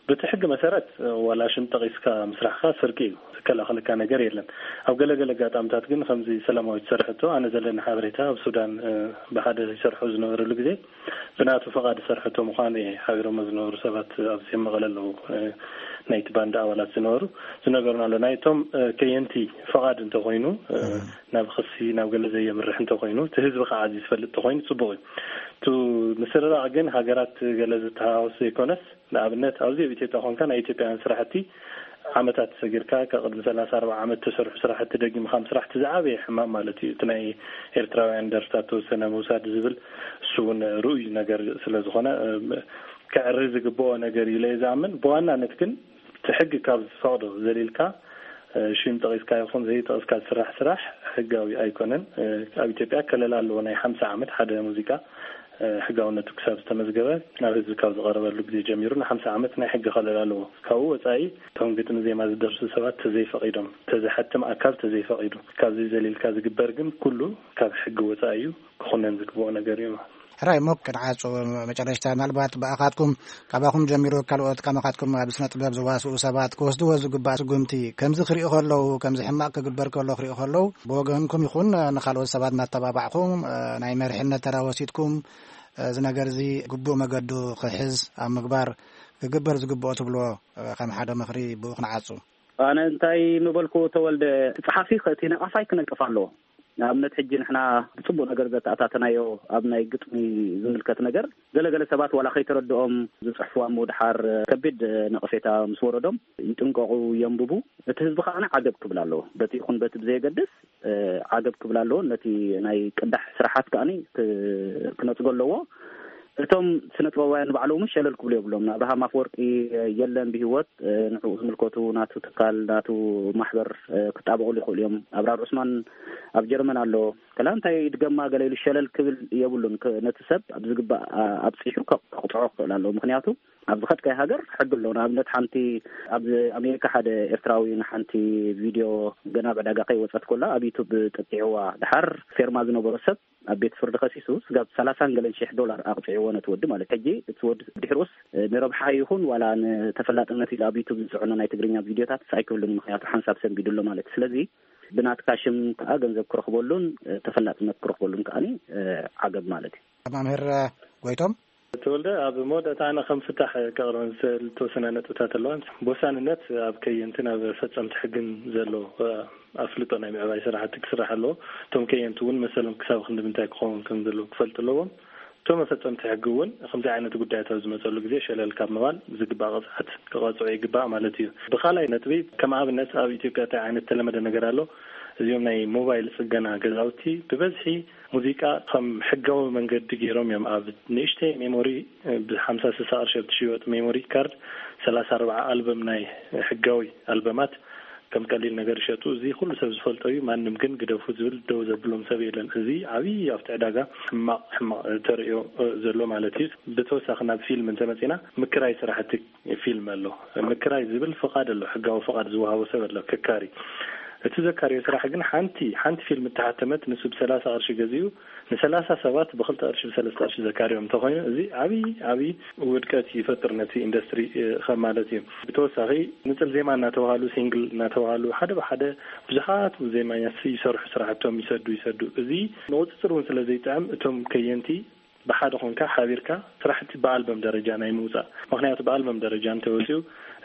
በቲ ሕጊ መሰረት ዋላ ሽም ጠቒስካ ምስራሕካ ስርቂ እዩ። ዝከላኸለካ ነገር የለን። ኣብ ገለገለ ኣጋጣምታት ግን ከምዚ ሰላማዊት ዝሰርሐቶ ኣነ ዘለኒ ሓበሬታ ኣብ ሱዳን ብሓደ ይሰርሑ ዝነበረሉ ግዜ ብናቱ ፈቓድ ዝሰርሐቶ ምዃኑ እየ ሓቢሮሞ ዝነበሩ ሰባት ኣብዚ መቐለ ኣለዉ። ናይቲ ባንድ ኣባላት ዝነበሩ ዝነገሩና ኣሎ። ናይቶም ከየንቲ ፈቓድ እንተኾይኑ ናብ ክሲ ናብ ገለ ዘየምርሕ እንተኾይኑ እቲ ህዝቢ ከዓ እዚ ዝፈልጥ እንተኾይኑ ፅቡቕ እዩ። እቲ ምስርራቕ ግን ሃገራት ገለ ዝተሓዋወስ ዘይኮነስ ንኣብነት ኣብዚ ኣብ ኢትዮጵያ ኮንካ ናይ ኢትዮጵያውያን ስራሕቲ ዓመታት ሰጊርካ ካብ ቅድሚ ሰላሳ ኣርባዓ ዓመት ተሰርሑ ስራሕቲ ደጊምካ ምስራሕ እቲ ዝዓበየ ሕማም ማለት እዩ። እቲ ናይ ኤርትራውያን ደርፍታት ተወሰነ ምውሳድ ዝብል እሱ እውን ርኡይ ነገር ስለ ዝኾነ ክዕሪ ዝግብኦ ነገር እዩ ኢለ ዝኣምን። ብዋናነት ግን እቲ ሕጊ ካብ ዝፈቕዶ ዘሊልካ ሽም ጠቒስካ ይኹን ዘይጠቕስካ ዝስራሕ ስራሕ ሕጋዊ ኣይኮነን። ኣብ ኢትዮጵያ ከለላ ኣለዎ ናይ ሓምሳ ዓመት ሓደ ሙዚቃ ሕጋውነቱ ክሳብ ዝተመዝገበ ናብ ህዝቢ ካብ ዝቐረበሉ ግዜ ጀሚሩ ንሓምሳ ዓመት ናይ ሕጊ ከለላ ኣለዎ። ካብኡ ወፃኢ እቶም ግጥሚ ዜማ ዝደርሱ ሰባት ተዘይፈቒዶም፣ ተዘሓትም ኣካል ተዘይፈቒዱ፣ ካብዚ ዘሊልካ ዝግበር ግን ኩሉ ካብ ሕጊ ወፃኢ እዩ፣ ክኹነን ዝግብኦ ነገር እዩ። ሕራይ እሞ ክንዓጹ መጨረሽታ ምናልባት ብኣኻትኩም ካባኹም ጀሚሩ ካልኦት ከማኻትኩም ኣብ ስነ ጥበብ ዝዋስኡ ሰባት ክወስድዎ ዝግባእ ስጉምቲ ከምዚ ክሪኡ ከለዉ ከምዚ ሕማቕ ክግበር ከሎ ክሪኡ ከለዉ ብወገንኩም ይኹን ንኻልኦት ሰባት እናተባባዕኩም ናይ መሪሕነት ተራ ወሲድኩም እዚ ነገር እዚ ግቡእ መገዱ ክሕዝ ኣብ ምግባር ክግበር ዝግብኦ ትብልዎ ከም ሓደ ምኽሪ ብኡ ክንዓጹ? ኣነ እንታይ ምበልኩ ተወልደ፣ እቲ ጸሓፊ እቲ ነቓፋይ ክነቅፍ ኣለዎ። ንኣብነት ሕጂ ንሕና ብጽቡቕ ነገር ዘተኣታተናዮ ኣብ ናይ ግጥሚ ዝምልከት ነገር ገለገለ ሰባት ዋላ ከይተረድኦም ዝጽሕፍዋ እሞ ድሓር ከቢድ ነቐፌታ ምስ ወረዶም ይጥንቀቑ፣ የንብቡ። እቲ ህዝቢ ከኣ ዓገብ ክብል ኣለዎ። በቲ ይኹን በቲ ብዘየገድስ ዓገብ ክብል ኣለዎ። ነቲ ናይ ቅዳሕ ስራሓት ከኣ ክነጽጎ ኣለዎ። እቶም ስነ ጥበባውያን ንባዕሎም እውን ሸለል ክብሉ የብሎም። ንኣብርሃም ኣፈወርቂ የለን ብህይወት፣ ንዕኡ ዝምልከቱ ናቱ ትካል ናቱ ማሕበር ክጣበቑሉ ይኽእሉ እዮም። ኣብራር ዑስማን ኣብ ጀርመን ኣሎ። ከላ እንታይ ድገማ ገለ ኢሉ ሸለል ክብል የብሉን። ነቲ ሰብ ኣብ ዝግባእ ኣብፂሑ ከቕፅዖ ክኽእል ኣለዎ። ምክንያቱ ኣብ ዝኸድካይ ሃገር ሕጊ ኣሎ። ንኣብነት ሓንቲ ኣብ ኣሜሪካ ሓደ ኤርትራዊ ንሓንቲ ቪድዮ ገና ኣብ ዕዳጋ ከይወፀት ኮላ ኣብ ዩቱብ ጠጢዕዋ። ድሓር ፌርማ ዝነበሮ ሰብ ኣብ ቤት ፍርዲ ከሲሱ ስጋብ ሰላሳን ገለን ሽሕ ዶላር ኣቕፂዕዎ ነቲ ወዲ ማለት። ሕጂ እቲ ወዲ ድሕሩስ ንረብሓ ይኹን ዋላ ንተፈላጥነት ኢሉ ኣብ ዩቱብ ዝፅዕኖ ናይ ትግርኛ ቪድዮታት ኣይክህሉን፣ ምክንያቱ ሓንሳብ ሰንቢዱ ኣሎ ማለት። ስለዚ ብናትካ ሽም ከዓ ገንዘብ ክረኽበሉን ተፈላጥነት ክረኽበሉን ከዓኒ ዓገብ ማለት እዩ። መምህር ጎይቶም ተወልደ፣ ኣብ መወዳእታ ኣነ ከም ፍታሕ ከቕርበን ዝተወሰነ ነጥብታት ኣለዋ። ብወሳንነት ኣብ ከየንትን ኣብ ፈፀምቲ ሕግን ዘሎ ኣፍልጦ ናይ ምዕባይ ስራሕቲ ክስራሕ ኣለዎ። እቶም ከየንቲ እውን መሰሎም ክሳብ ክንዲ ምንታይ ክኸውን ከም ዘለዎ ክፈልጡ ኣለዎም። እቶም መፈፀምቲ ሕጊ እውን ከምዚ ዓይነት ጉዳያት ኣብ ዝመፀሉ ግዜ ሸለል ካብ ምባል ዝግባእ ቅፅዓት ክቐፅዑ ይግባእ ማለት እዩ። ብካልኣይ ነጥቢ ከም ኣብነት ኣብ ኢትዮጵያ እንታይ ዓይነት ተለመደ ነገር ኣሎ? እዚኦም ናይ ሞባይል ፅገና ገዛውቲ ብበዝሒ ሙዚቃ ከም ሕጋዊ መንገዲ ገይሮም እዮም ኣብ ንእሽተይ ሜሞሪ ብሓምሳ ስሳ ቅርሺ ኣብ ትሽወጥ ሜሞሪ ካርድ ሰላሳ ኣርባዓ ኣልበም ናይ ሕጋዊ ኣልበማት ከም ቀሊል ነገር ይሸጡ። እዚ ኩሉ ሰብ ዝፈልጦ እዩ። ማንም ግን ግደፉ ዝብል ደው ዘብሎም ሰብ የለን። እዚ ዓብዪ ኣብቲ ዕዳጋ ሕማቕ ሕማቕ ተርእዮ ዘሎ ማለት እዩ። ብተወሳኺ ናብ ፊልም እንተመፂና ምክራይ ስራሕቲ ፊልም ኣሎ። ምክራይ ዝብል ፍቓድ ኣሎ፣ ሕጋዊ ፍቓድ ዝወሃቦ ሰብ ኣሎ ከካሪ። እቲ ዘካርዮ ስራሕ ግን ሓንቲ ሓንቲ ፊልም እተሓተመት ንሱ ብሰላሳ ቅርሺ ገዚኡ ንሰላሳ ሰባት ብክልተ ቅርሺ ብሰለስተ ቅርሺ ዘካርዮም እንተኾይኑ እዚ ዓብዪ ዓብዪ ውድቀት ይፈጥር ነቲ ኢንዱስትሪ ማለት እዩ። ብተወሳኺ ንፅል ዜማ እናተባሃሉ ሲንግል እናተባሃሉ ሓደ ብሓደ ብዙሓት ዜማኛት ይሰርሑ ስራሕቶም ይሰዱ ይሰዱ። እዚ ንቁፅፅር እውን ስለ ዘይጥዕም እቶም ከየንቲ ብሓደ ኮንካ ሓቢርካ ስራሕቲ ብኣልበም ደረጃ ናይ ምውፃእ፣ ምክንያቱ ብኣልበም ደረጃ እንተወፂኡ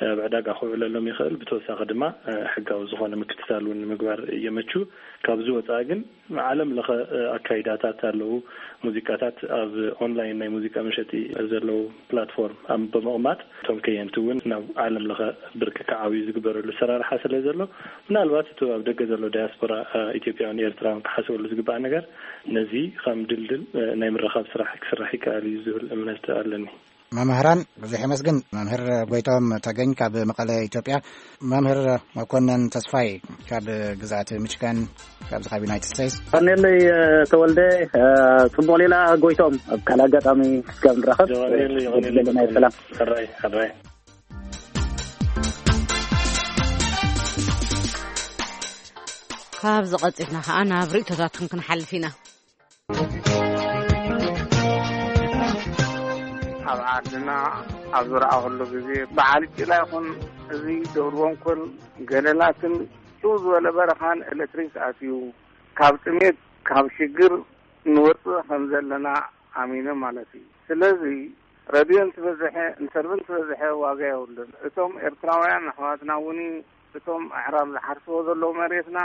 ኣብ ዕዳጋ ክውዕለሎም ይኽእል። ብተወሳኺ ድማ ሕጋዊ ዝኾነ ምክትታል እውን ንምግባር የመቹ። ካብዚ ወፃኢ ግን ዓለም ለኸ ኣካይዳታት ኣለዉ። ሙዚቃታት ኣብ ኦንላይን ናይ ሙዚቃ መሸጢ ዘለዉ ፕላትፎርም ኣብ ብምቕማጥ እቶም ከየንቲ እውን ናብ ዓለም ለኸ ብርኪ ክዓብዩ ዝግበረሉ ሰራርሓ ስለ ዘሎ፣ ምናልባት እቲ ኣብ ደገ ዘሎ ዳያስፖራ ኢትዮጵያውን ኤርትራውን ክሓስበሉ ዝግባእ ነገር ነዚ ከም ድልድል ናይ ምርኻብ ስራሕ ክስራሕ ይከኣል እዩ ዝብል እምነት ኣለኒ። መምህራን ብዙሕ የመስግን። መምህር ጎይቶም ተገኝ ካብ መቐለ ኢትዮጵያ፣ መምህር መኮነን ተስፋይ ካብ ግዝኣት ሚችጋን፣ ካብዚ ካብ ዩናይትድ ስቴትስ። ቀኔለይ ተወልደ፣ ጽቡቕ ሌላ ጎይቶም ኣብ ካልእ ኣጋጣሚ እስካብ ንራኸብ። የቐኔለይ፣ የቐኔለይ። ሰላም። ሕራይ፣ ሕራይ። ካብዚ ቀጺልና ከኣ ናብ ርእይቶታትኩም ክንሓልፍ ኢና። ኣብ ዓድና ኣብ ዝረኣኹሉ ግዜ በዓል ጭላ ይኹን እዚ ደብረ ወንኮል ገደላትን ጭው ዝበለ በረኻን ኤሌክትሪክ ኣትዩ ካብ ጥሜት ካብ ሽግር ንወፅእ ከም ዘለና ኣሚነ ማለት እዩ። ስለዚ ረድዮ እንትበዝሐ ኢንተርቪው እንትበዝሐ ዋጋ የብሉን። እቶም ኤርትራውያን ኣሕዋትና እውን እቶም ኣዕራብ ዝሓርስዎ ዘለዉ መሬትና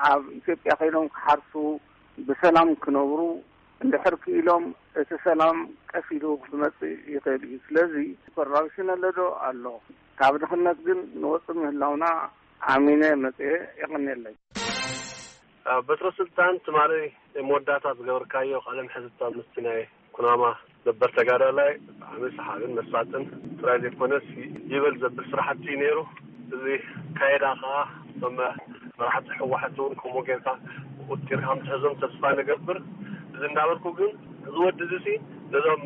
ኣብ ኢትዮጵያ ከይዶም ክሓርሱ ብሰላም ክነብሩ እንድሕር ክኢሎም እቲ ሰላም ቀስ ኢሉ ክመጽእ ይኽእል እዩ። ስለዚ ኮራፕሽን ኣለዶ ኣሎ። ካብ ድኽነት ግን ንወጽእ ምህላውና ኣሚነ መጽኤ። የቐንየለይ። በትረ ስልጣን ትማሊ መወዳእታ ዝገበርካዮ ቃለ መሕትት ምስቲ ናይ ኩናማ ነበር ተጋዳላይ ብጣዕሚ ሰሓብን መሳጥን ጥራይ ዘይኮነስ ይበል ዘብል ስራሕቲ እዩ ነይሩ። እዚ ካይዳ ከዓ እቶም መራሕቲ ህወሓት እውን ከምኡ ጌርካ ቁጢርካ ምትሕዞም ተስፋ ንገብር። እዚ እንዳበልኩ ግን እዚ ወዲ እዚ ሲ ነዞም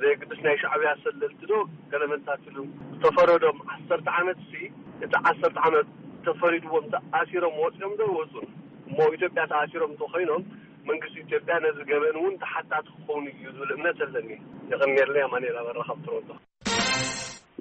ዘይግድስ ናይ ሻዕብያ ሰለልቲ ዶ ገለመንታት ኢሉ ዝተፈረዶም ዓሰርተ ዓመት ሲ እቲ ዓሰርተ ዓመት ተፈሪድዎም ተኣሲሮም ወፂኦም ዶ ይወፁን? እሞ ኣብ ኢትዮጵያ ተኣሲሮም እንተኮይኖም መንግስቲ ኢትዮጵያ ነዚ ገበን እውን ተሓታቲ ክኸውን እዩ ዝብል እምነት ኣለኒ። የቐንየለይ። ኣማኑኤል ኣበራ ካብ ቶሮንቶ።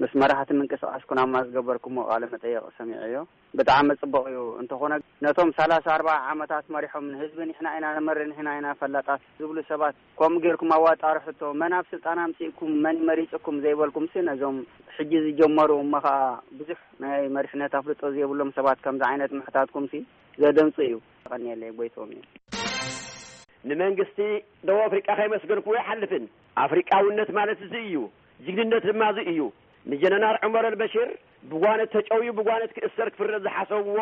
ምስ መራሕቲ ምንቅስቃስ ኩናማ ዝገበርኩሞ ቃለ መጠየቕ ሰሚዐዮ። ብጣዕሚ ጽቡቕ እዩ። እንተኾነ ነቶም ሰላሳ ኣርባዓ ዓመታት መሪሖም ንህዝቢ ንሕና ኢና ንመርሕ ንሕና ኢና ፈላጣት ዝብሉ ሰባት ከምኡ ጌርኩም ኣዋጣሩ ሕቶ መን ኣብ ስልጣን ኣምጺእኩም መን መሪጽኩም ዘይበልኩምሲ ነዞም ሕጂ ዝጀመሩ እሞ ኸኣ ብዙሕ ናይ መሪሕነት ኣፍልጦ ዘይብሎም ሰባት ከምዚ ዓይነት ምሕታትኩምሲ ዘደንጹ እዩ። የቐንየለይ። ጎይቶም እዩ። ንመንግስቲ ደቡብ ኣፍሪቃ ከየመስገንኩዎ ኣይሓልፍን። ኣፍሪቃውነት ማለት እዚ እዩ። ጅግንነት ድማ እዚ እዩ። ንጀነራል ዑመር ኣልበሽር ብጓነት ተጨውዩ ብጓነት ክእሰር ክፍረድ ዝሓሰብዎ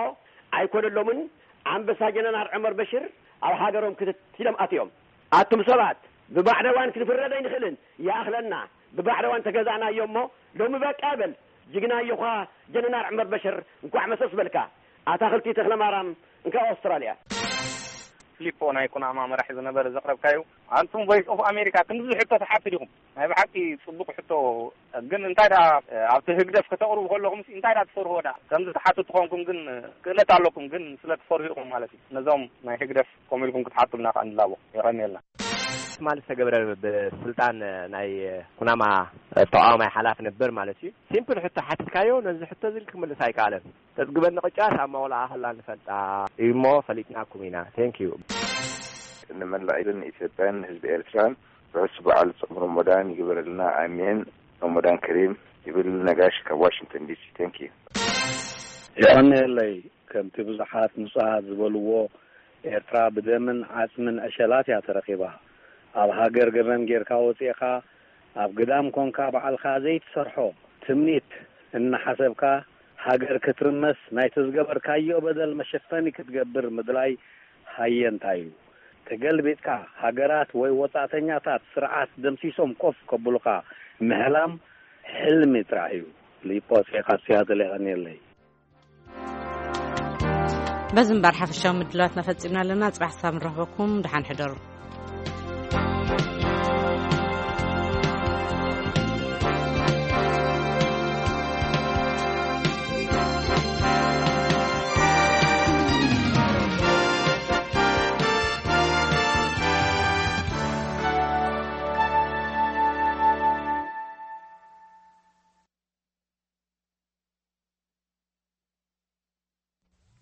ኣይኮነሎምን። ኣንበሳ ጀነራል ዑመር በሽር ኣብ ሃገሮም ክትት ኢሎም ኣትዮም። ኣቱም ሰባት ብባዕዳዋን ክንፍረድ ኣይንኽእልን። ይኣኽለና። ብባዕዳዋን ተገዛእናዮ እሞ ሎሚ በቃ በል። ጅግና እዮኻ ጀነራል ዑመር በሽር እንኳዕ መሰስ በልካ። ኣታኽልቲ ተኽለማርያም እንካ ኣውስትራልያ። ፊሊፖ ናይ ኩናማ መራሒ ዝነበረ ዘቕረብካዩ። ኣንቱም ቮይስ ኦፍ ኣሜሪካ ክንድዚ ሕቶ ትሓቱ ዲኹም? ናይ ብሓቂ ጽቡቕ ሕቶ። ግን እንታይ ደኣ ኣብቲ ህግደፍ ከተቕርቡ ከለኹም እንታይ ደኣ ትፈርህዎ ደኣ? ከምዚ ትሓቱ ትኾንኩም ግን ክእለት ኣለኩም፣ ግን ስለ ትፈርሁ ኢኹም ማለት እዩ። ነዞም ናይ ህግደፍ ከምኡ ኢልኩም ክትሓቱልና ከኣ ንላቦ። የቐንየልና። ትማሊ ዝተገብረ ብስልጣን ናይ ኩናማ ተቃዋማይ ሓላፊ ነበር ማለት እዩ። ሲምፕል ሕቶ ሓቲትካዮ፣ ነዚ ሕቶ እዚ ክምልስ ኣይከኣለን። ተጽግበኒ ቅጫ ሳማ ወላ ኣኸላ ንፈልጣ እዩ እሞ ፈሊጥናኩም ኢና። ቴንክ ዩ። ንመላእ ኢድን ኢትዮጵያን ህዝቢ ኤርትራን ርሑስ በዓል ጾም ረመዳን ይግበረልና። ኣሜን። ረመዳን ከሪም ይብል ነጋሽ ካብ ዋሽንግተን ዲሲ። ቴንክ ዩ። የቐንየለይ። ከምቲ ብዙሓት ንጹሃት ዝበልዎ፣ ኤርትራ ብደምን ዓጽምን ዕሸላት እያ ተረኺባ። ኣብ ሃገር ገበን ጌርካ ወጺእኻ፣ ኣብ ግዳም ኮንካ ባዕልኻ ዘይትሰርሖ ትምኒት እናሓሰብካ፣ ሃገር ክትርመስ ናይቲ ዝገበርካዮ በደል መሸፈኒ ክትገብር ምድላይ ሃየንታ እዩ። ተገልቢጥካ፣ ሃገራት ወይ ወጻእተኛታት ስርዓት ደምሲሶም ኮፍ ከብሉኻ ምሕላም ሕልሚ ጥራሕ እዩ። ሊፖሴ ካብ ሲያትል የቐንየለይ። በዚ እምበር ሓፈሻዊ ምድላዋትና ፈጺምና ኣለና። ጽባሕ ክሳብ ንረኽበኩም፣ ደሓን ሕደሩ።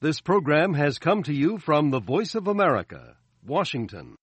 This program has come to you from the Voice of America, Washington.